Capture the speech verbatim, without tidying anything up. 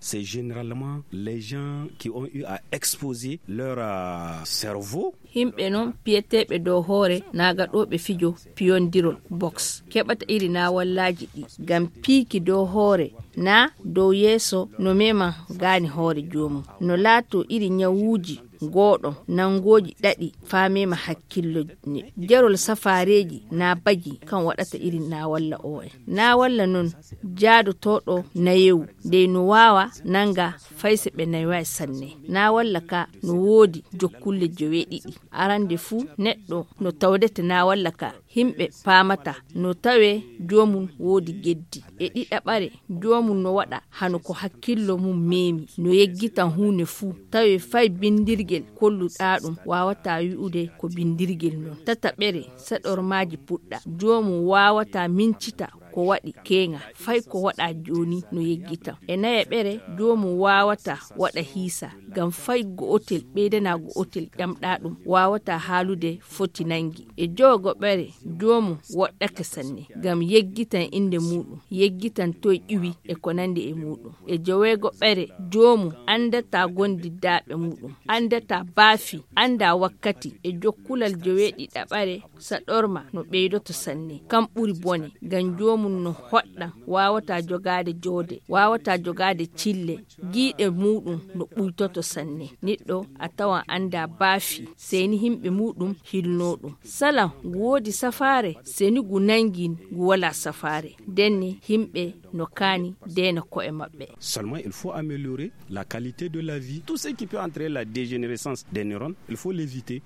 C'est généralement les gens qui ont eu à exposer leur euh, cerveau. Himɓe non piyeteeɓe dow hoore naagaɗooɓe fijo piyondirol box keɓata iri naawallaaji ɗi ngam piiki dow hoore na dow yeeso no mema gaani hoore joomum no laato iri ñawuuji gooɗo nanngooji ɗaɗi faamema hakkillo ne jerol safaareeji na bagi kan waɗata iri naawalla oo en naawalla non jaadotooɗo nayewu dey no waawa nannga fayse ɓe nayway sanne na walla ka no woodi jokkulle joweeɗiɗi arande fuu neɗɗo no tawdete na walla ka himɓe paamata no tawe joomum woodi geddi e ɗiɗaɓare joomum no waɗa hano ko hakkillo mum meemi no yeggitan huunde fuu tawe fay binndirgel kolluɗaa ɗum waawataa wi'ude ko binndirgel non tataɓere saɗormaaji puɗɗa joomum waawataa mincita ko waɗi keeŋa fay ko waɗa jooni no yeggitan e nayaɓere joomum waawata waɗa hiisa ngam fay go'otel ɓeydana go'otel ƴamɗa ɗum waawata haalude foti nangi e jowogoɓere joomum woɗɗake sanne ngam yeggitan innde muuɗum yeggitan toy ƴiwi e ko nandi e muuɗum e joweegoɓere joomum anndata gondiddaaɓe muuɗum anndata baafi annda wakkati e jokkulal joweeɗiɗaɓare saɗorma no ɓeydoto sanne kam ɓuri bone ngam joomum no hoɗɗan waawata jogaade joode waawata jogaade cille giiɗe muuɗum no ɓuytoto sanne niɗɗo a tawan annda baafi seni himɓe muuɗum hilno ɗum sala ngu woodi safaare seni ngu nangi ngu wala safaare ndenne himɓe no kaani deena ko'e maɓɓe. Seulement il faut améliorer la qualité de la vie. Tout ce qui peut entraîner la dégénérescence des neurones, il faut l'éviter.